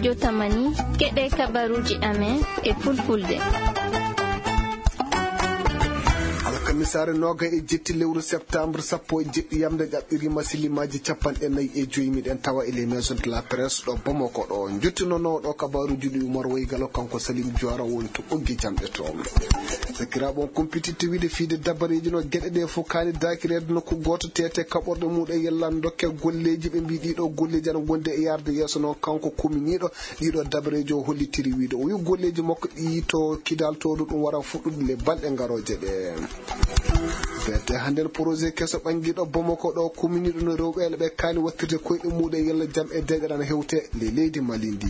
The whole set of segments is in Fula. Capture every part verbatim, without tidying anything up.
Jotamani, keɗe kabaruji amen e fulfulde. Alkamisaare nooga e jetti lewru septembre sappo e jeɗɗi yamde ƴaɓɓirima silimaaji capanɗe nayi e joyi. Miɗen tawa e les maisons de la presse ɗo Bamako ɗo. Njottinonooɗo kabaruji ɗi Umar Waygalo, kanko Salim Juwara woni to ɓoggi jamɗe to. Sakiraaɓe, on kumpititte wiide fiide dabareeji no geɗe ɗe fof kaani daakireede nokku gooto, teete kaɓorɗe muɗum e yellan dokke golleeji. Ɓe mbii ɗiɗo golleeji ana ngondi e yaarde yeeso noon, kanko kuminiiɗo ɗiɗo dabareeji o hollitiri wiide o wi golleeji makko ɗi to Kidal to ɗo ɗum wara fuɗɗude le balɗe ngarooje ɗe. Beete hannden projet keso ɓanngiiɗo Bamako ɗo kuminiiɗo no rewɓe ɓe kaani wattirde koyɗe muɗum e yalla jam e deeƴere ana hewte le leydi Mali ndi.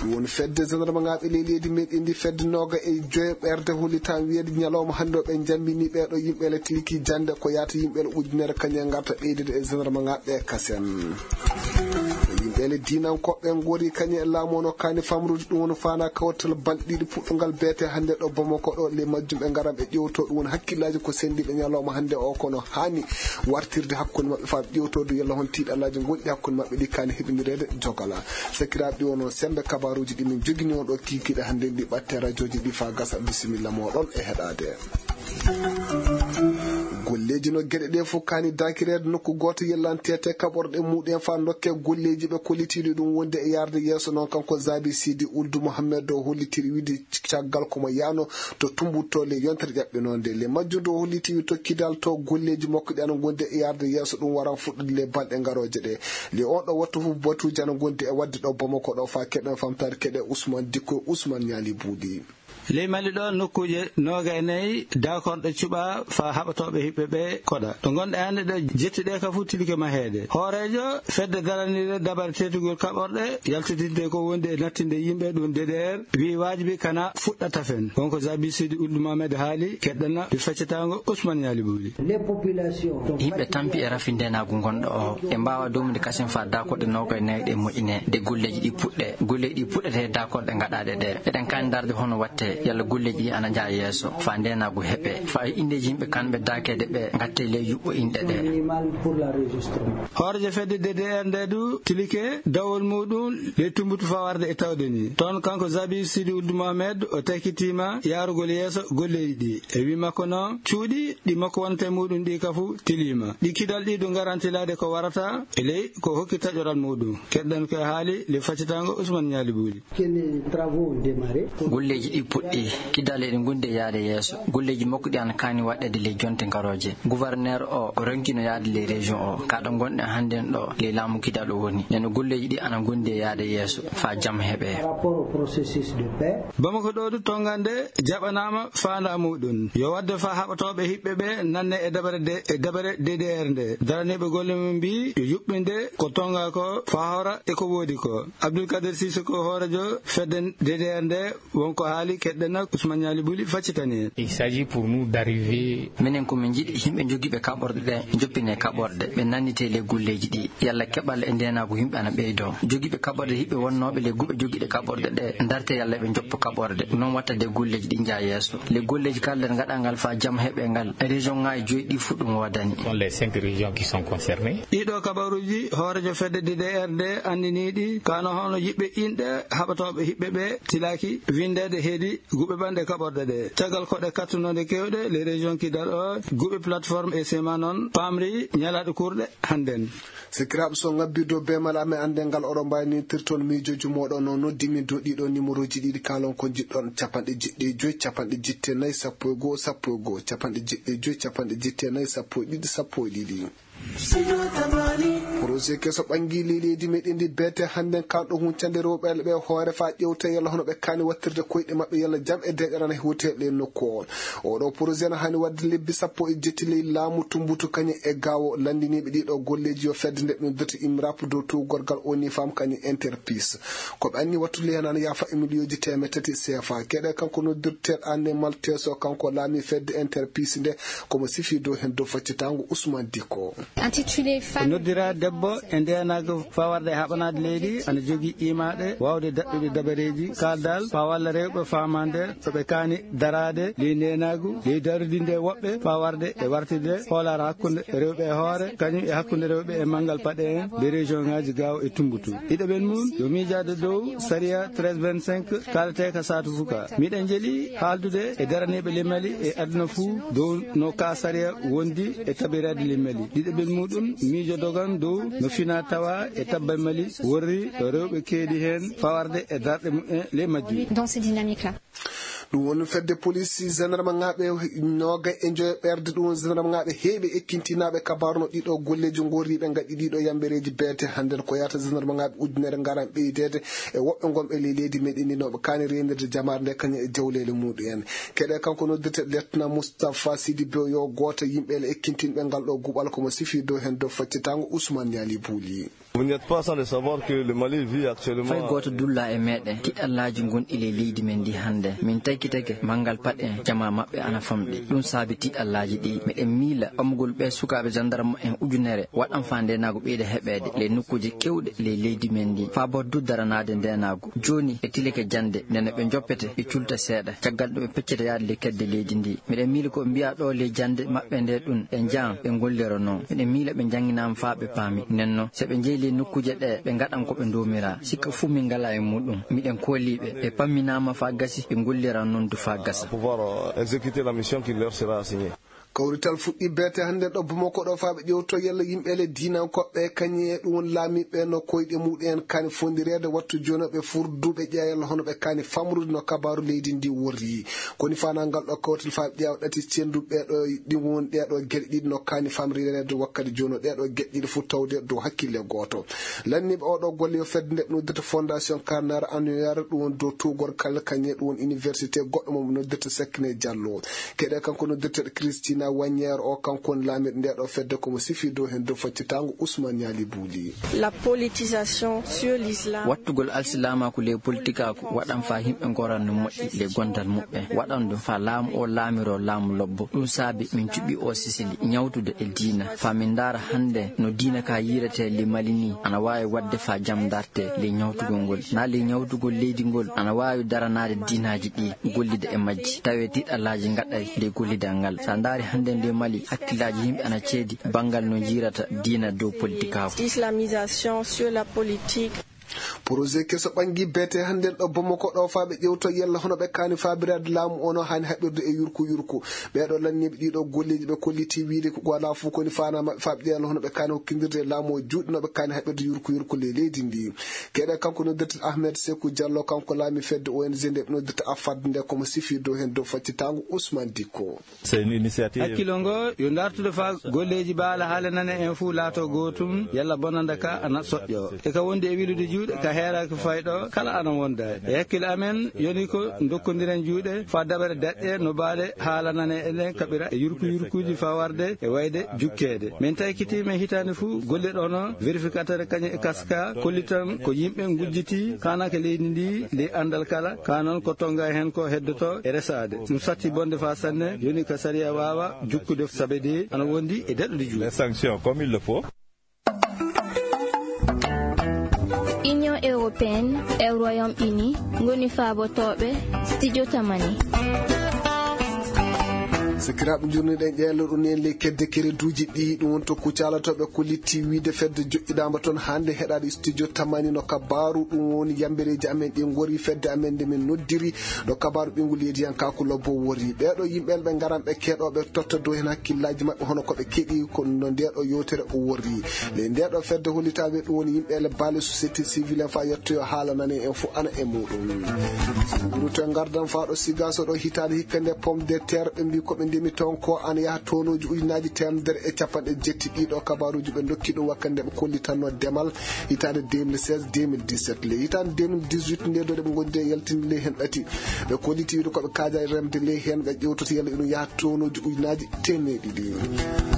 Ɗum woni fedde gendarme ŋaaɓe ley leydi meɗen ndi, fedde nooga e joyo ɓerde hollitan wiyeede ñalawma hannde o ɓe njambini ɓeeɗo yimɓe le tilki jannde ko yaata yimɓe le ujunere kañum e ngarta ɓeydude e gendarme ŋaaɓe kasen. Yimɓe le diinankoɓe ngori kañum e laamu o no kaani famrude ɗum woni faana kawtal balɗe ɗiɗi puɗɗungal beete hannde ɗo Bamako ɗo le majjum ɓe ngaran ɓe ƴewto ɗum woni hakkillaaji ko senndiiɓe ñalawma hannde o kono haani wartirde hakkunde maɓɓe faa ɓe ƴewto du yalla hon tiiɗalaaji gonɗi hakkunde maɓɓe ɗi kaani heɓinireede jogala. Sakiraaɓe ɗi wonoo semmbe kabaruuji ɗi min jogini on ɗo kiikiiɗe hannde ɗi ɓatte rajooji ɗi faa gasa bisimilla mooɗon e heɗaade. Golleeji no geɗe ɗe fof kaani daakireede nokku gooto yellantete kaɓorɗe muɗum faa dokke golleeji ɓe kollitiiɗi ɗum wonde e yaarde yeeso noon kanko Zabi Sidi Uldu Mohammed o hollitiri wiide caggal ko mo yaano to Tumbuttu le yontere ƴaɓɓinoonde le majjum o holliti wi tokkidal to golleeji makko ɗi ana ngondi e yaarde yeeso ɗum waran fuɗɗude le balɗe ngarooje ɗe. Le on ɗo wattu fof batuuji ana ngondi e waɗde ɗo Bamako ɗo faa keɗen famtaade keɗe Ousmane Dikko Ousmane Ñaali Buuɗi. Ley Mali ɗo nokkuuje nooga e nayi daakorɗe cuɓaa faa haɓatooɓe hiɓɓe ɓe koɗa. Ɗo ngonɗe hannde ɗo jetti ɗe ka fof tilike maheede. Hooreejo fedde daraniire dabare teetugol kaɓorɗe yaltitinte ko wonde e nattinde yimɓe ɗum D D R wiyi waajibi kana fuɗɗa tafen. Wonko Zabi Sidi Uldu Mohamed haali keɗɗana ɗi feccetaango Ousmane Ñaali Buuɗi. Yimɓe tampi e rafi ndeenaagu ngonɗo o. Ɓe mbaawa doomude kasen faa daakorɗe nooga e nayi ɗe moƴƴine de golleeji ɗi puɗɗe. Golleeji ɗi puɗɗete daakorɗe ngaɗaaɗe ɗe. Eɗen kaani ndarde hono watte yalla golleeji ɗi ana njaha yeeso faa ndeenaagu heɓe. Faa indeeji yimɓe kanɓe daakeede ɓe ngatte ley yuɓɓo inɗe ɗe. Hooreejo fedde D D R nde du tilike dawol muɗum ley Tumbuttu faa warde e tawde ni. Toon kanko Zabi Sidi Uldu Mohamed o takkitiima yaarugol yeeso golleeji ɗi. E wii makko noon cuuɗi ɗi makko wonata e muɗum ɗi ka fof tiliima. Ɗi kidal ɗi du ngaran tilaade ko warata e ley ko hokki taƴoral muɗum. Keɗɗen ko e haali le faccitaango Ousmane Ñaali Buuɗi. Golleeji ɗi puɗɗi, kidale ɗi ngondi e yaade yeeso. Golleeji makko ɗi ana kaani waɗeede ley jonte ngarooje. Gouverneur o, o ronkino yaade ley région o. Ka ɗo ngonɗen hannden ɗo, ley laamu kidal o woni. Nden golleeji ɗi ana ngondi e yaade yeeso, faa jam heɓe. Bamako ɗo du tonngande jaɓanaama faandaa muɗum. Yo waɗde faa haɓatooɓe hiɓɓe ɓe nanne e dabare de, e dabare D D R nde. Daraniiɓe golle mum mbii yo yuɓɓinde ko tonngaa ko faa hawra e ko woodi ko. Abdoul Kader Cissé ko hooreejo fedde D D R nde. Wonko haali keɗɗen nak Ousmane Ñaali Buuɗi faccitani en. Il s'agit pour nous d'arriver. Minen ko min njiɗi yimɓe jogiiɓe kaɓorɗe ɗe njoppine kaɓorɗe, ɓe nannite ley golleeji ɗi. Yalla keɓal e ndeenaagu yimɓe ana ɓeydoo. Jogiiɓe kaɓorɗe hiɓɓe wonnooɓe ley guɓe jogiiɗe kaɓorɗe ɗe ndarte yalla ɓe njoppa kaɓorɗe. Noon watta de golleeji ɗi njaha yeeso. Ley golleeji kalɗen ngaɗangal faa jam heɓe ngal. Région ŋaaji joyi ɗi fof ɗum woodani. Ce sont les cinq régions qui sont concernées. Ɗiɗo kabaruuji hooreejo fedde D D R nde anndiniiɗi kano hono yiɓɓe inɗe haɓatooɓe hiɓɓe ɓe tilaaki winndeede heedi guɓe ɓanɗe kaɓorɗe ɗe. Caggal koɗe kattunoonde keewɗe, les régions kidal o, guɓe plateforme e sema noon, paamri ñalaaɗe kurɗe hannden. Sikiraaɓe so ngabbi dow beemal amen annden ngal oɗo mbaynitirton miijooji mooɗon no noddi min dow ɗiɗo numéroji ɗiɗi kaalon ko njiɗɗon, capanɗe jeɗɗi e joyi, capanɗe jetti e nayi, sappo e goo, sappo e goo, capanɗe jeɗɗi e joyi, capanɗe jetti e nayi, sappo e ɗiɗi, sappo e ɗiɗi. Projet keso ɓanngii ley leydi meɗen ndi beete hannden kanɗo huncande rewɓe ɓe hoore faa ƴewta yalla hono ɓe kaani wattirde koyɗe maɓɓe yalla jam e deeƴere ana hewte e ley nokku o. Oɗo projet na haani waɗde lebbi sappo e jetti ley laamu Tumbutu kañum e Gaawo. Lanndiniiɓe ɗiɗo golleeji yo fedde nde ɓe noddirta IMRAP dow tuugorgal ONU Femmes kañum Interpeace. Ko ɓe anni wattude heen ana yaafa e miliyooji teemedde tati C F A. Keɗe kanko noddirteeɗo Anne Malteso, kanko laami fedde Interpeace nde, komo sifi dow heen dow faccitaango Ousmane Dikko. Intitulé Femmes. Noddira debbo Bo e ndeenaagu faa warde e haɓanaade leydi, ana jogii iimaaɗe waawde daɗɗude dabareeji kaaldal faa walla rewɓe faamaande to ɓe kaani daraade ley ndeenaagu, ley darudinde woɓɓe faa warde e wartirde hoolaare hakkunde rewɓe e hoore, kañum e hakkunde rewɓe e manngal paɗe en, ɓe région ŋaaji Gaawo e Tumbatu. Ɗiɗaɓel mum yo miijaade dow sariya treize vingt-cinq kaalateeka saatu fuka. Miɗen njeli haaldude e daraniiɓe ley Mali e aduna fuu dow no ka sariya wondi e tabiraade ley Mali. Ɗiɗaɓel muɗum miijo dogan dow no fina tawa e tabba Mali worri rewɓe keedi heen fawarde e darɗe mumen ley majjum. Dans ces dynamiques-là. Ɗum woni fedde police gendarmeŋaaɓe nooga e njoyo ɓerde, ɗum woni gendarmeŋaaɓe heeɓe ekkintinaaɓe kabaaru no ɗiɗo golleeji ngorriiɓe ngaɗi ɗiɗo yambereeji beete hannden ko yahata gendarmeŋaaɓe ujunere ngaran ɓeydeede e woɓɓe ngonɓe ley leydi meɗen ndi nooɓe kaani reenirde jamaare nde kañum e jawleele muɗum en. Keɗe kanko noddirte letna Moustapha Sidi Bew yo gooto yimɓe ele ekkintinɓe ngal ɗo guɓal komo sifi dow heen dow faccitaango Ousmane Niali Bouli. Vous n'êtes pas sans le savoir que le Mali vit actuellement. Fay gooto dulla e meɗen tiɗallaaji gonɗi ley leydi men ndi hannde. Min taykitake manngal paɗe en jama maɓɓe ana famɗi. Ɗum saabi tiɗallaaji ɗi. Meɗen miila ɓamgol ɓe sukaaɓe gendarme en ujunere waɗan faa ndeenaagu ɓeyda heɓeede ley nokkuuje kewɗe ley leydi men ndi. Faa boo du daranaade ndeenaagu. Jooni ɓe tilike jannde, nde no ɓe njoppete, ɓe culta seeɗa. Caggal ɗum ɓe peccete yaade ley kedde leydi ndi. Miɗen miila ko ɓe mbiya ɗo ley jannde maɓɓe nde ɗum, ɓe njahan, ɓe ngollira noon. Miɗen miila ɓe njannginaama faa ɓe paami. Nden noon, so ɓe njehi ley nokkuuje ɗe, ɓe ngaɗan ko ɓe ndoomira. Sikka fuu min ngalaa e muɗum. Miɗen koolii ɓe. Ɓe pamminaama faa gasi, ɓe ngolliran noon du faa gasa. Pouvoir, euh, exécuter la mission qui leur sera assignée. Kawrital fuɗɗi beete hannde ɗo Bamako ɗo faa ɓe ƴewto yalla yimɓe le diinankoɓe kañum e ɗum woni laamiiɓe no koyɗe muɗum en kaani fondireede wattu jooni ɓe furduɓe ƴeewa yalla hono ɓe kaani famrude no kabaaru leydi ndi worri. Koni faanangal ɗo kawrital faa ɓe ƴeewa ɗati cendu ɓeeɗo ɗi woni ɗeeɗo geɗe ɗiɗi no kaani famrireede wakkati jooni ɗeeɗo geɗe ɗiɗi fof tawde dow hakkille gooto. Lanniiɓe oo ɗo golle yo fedde nde ɓe noddirta Fondation Carnegie Annuaire ɗum woni dow tuugorgal kañum e ɗum woni université goɗɗo mo ɓe noddirta Sekne Diallo. Keɗe kanko noddirteeɗo Christina Wagner o, kanko woni laamiiɗo nde ɗo fedde komo sifi dow heen dow faccitaango Ousmane Niali Bouli. La politisation sur l'islam. Wattugol alsilaamaaku ley politikaaku waɗan faa yimɓe ngoran no moƴƴi ley gondal muɓɓen. Waɗan ɗum faa laamu o laamiroo laamu lobbo. Ɗum saabi min cuɓi o sisili ñawtude e diina. Faa min ndaara hannde no diina ka yiiretee ley Mali ni ana waawi waɗde faa jam ndarte ley ñawtugol ngol. Naa ley ñawtugol leydi ngol ana waawi daranaade diinaaji ɗi gollida e majji. Tawee tiɗallaaji ngaɗay ley gollidal ngal. So a ndaari hannde nde Mali, hakkillaaji yimɓe ana ceedi banngal no njiirata diina dow politikaaku. Islamisation sur la politique. Projet keso ɓangi beete hannde ɗo Bamako ɗo faa ɓe ƴewto yalla hono ɓe kaani faabiraade laamu ono haani haɓirde e yurku yurku. Ɓeeɗo lanniiɓe ɗiɗo golleeji ɓe kolliti wiide ko alaa fof koni faanaa maɓɓe faa ɓe ƴeewa hono ɓe kaani hokkindirde e laamu o juuɗe no ɓe kaani haɓirde yurku yurku ley leydi ndi. Keɗe kanko noddirta Ahmed Sekou Diallo, kanko laami fedde O N G nde ɓe noddirta Afad nde komo sifi dow heen dow faccitaango Ousmane Dicko. C'est une initiative. Hakkilo ngo yo ndartude faa golleeji baala haala nane en fuu laato gootum, yalla bonanda ka ana soƴƴo. E ka wondi e wilude juuɗe, ka heeraaki fayɗo, kala ana wonda. E hakkil amen, yoni ko ndokkondiren juuɗe faa daɓere daɗɗe no baale haala nane en ɗen kaɓira e yurku yurkuuji faa warde e wayde jukkeede. Min taykitiima hitaande fuu golle ɗo no vérificateur kañum e kaska kollitan ko yimɓe ngujjiti kaanaka leydi ndi ley anndal kala, ka noon ko tonga heen ko heddoto e resaade. Ɗum satti bonde faa sanne, yoni ka sariya waawa jukkude sabe de ana wondi e daɗɗude juuɗe. Les sanctions comme il le faut. Union européenne e Royaume-Uni ngoni faabotooɓe studio Tamani. Sakiraaɓe, njurniɗen ƴeeloɗo ni en ley kedde kereduuji ɗi, ɗum woni to Kucala to ɓe kolliti wiide fedde joƴƴiɗaama toon hannde heɗaade studio Tamani no kabaaru, ɗum woni yambereeji amen ɗi ngori fedde amen nde min noddiri ɗo kabaaru ɓinngol yediyankaaku lobbo wori. Ɓeeɗo yimɓe ɓe ngaran ɓe keɗo ɓe totta dow heen hakkillaaji maɓɓe hono ko ɓe keɗi ko no ndeeɗo yewtere o worri. Ley ndeeɗo fedde hollitaaɓe ɗum woni yimɓe ele baale société civile en faa yettoyo haala nane en fof ana e muɗum. Gurute ngardan faa ɗo Sigaso ɗo hitaande hikka nde pomme de terre ɓe mbi ko ɓe ndemi toon ko ana yaha tonooji ujunaaji teemedere e capanɗe jetti ɗiɗo kabaaruuji ɓe ndokki ɗum wakkati nde ɓe kollitanno demal hitaande deux mille seize deux mille dix-sept. Ley hitaande deux mille dix-huit nde ɗo ɗe ɓe ngondi e yaltinde ley heen ɗati. Ɓe kolliti wiide ko ɓe kaaja e remde ley heen ɓe ƴewtoto yalla iɗum yaha tonooji ujunaaji teemeɗe ɗiɗi.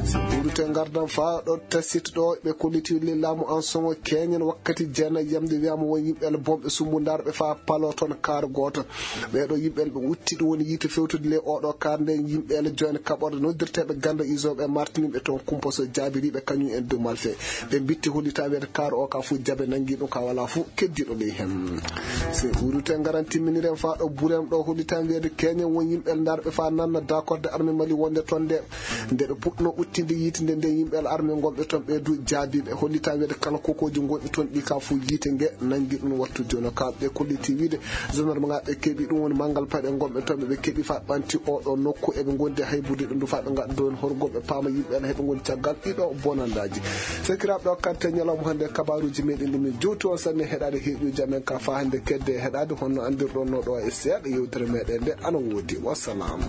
So gurute ngardan faa ɗo tasit ɗo ɓe kolliti ley laamu an soŋo keñen wakkati jeenayi yamde wiyaama won yimɓe ele bomɓe sumbundarɓe faa palo toon kaar gooto. Ɓeeɗo yimɓe ele ɓe utti ɗum woni yiite fewtude ley oɗo kaar nde yimɓe Jooni kaɓorde noddirteeɓe gannde isooɓe e martiniiɓe toon kumpa so jaabiriiɓe kañum en dumal fee. Ɓe mbitti hollitaa weede kaar o ka fuu jabe nanngi ɗum ka walaa fuu keddiiɗo ley heen. Se huurute ngaran timminiren faa ɗo buren ɗo hollitaa weede keñen won yimɓe ndarɓe faa nanna daakorde arme Mali wonde toon nde. Nde ɓe puɗno uttinde yiitinde nde yimɓe arme ngonɓe toon ɓe du jaabiiɓe hollitaa weede kala kokooji ngonɗi toon ɗi ka fuu yiite nge nanngi ɗum wattu jooni ka ɓe kolliti wiide Gendarme ɓe keɓi ɗum woni manngal payɗe ngonɓe toon ɓe keɓi faa ɓanti o ɗo nokku eɓe ngondi haybude ɗum du faa ɓe ngadda doon horgol ɓe paama yimɓe ala heɓe ngondi caggal ɗiɗo bonandaaji. Sakiraaɓe ɗo kante ñalawma hannde kabaruuji meɗen ɗi min jowti on sanne heɗaade heɗuuji amen ka faa hannde kedde heɗaade honno anndirɗon no ɗo e seeɗa yewtere meɗen nde ana woodi. Wassalam.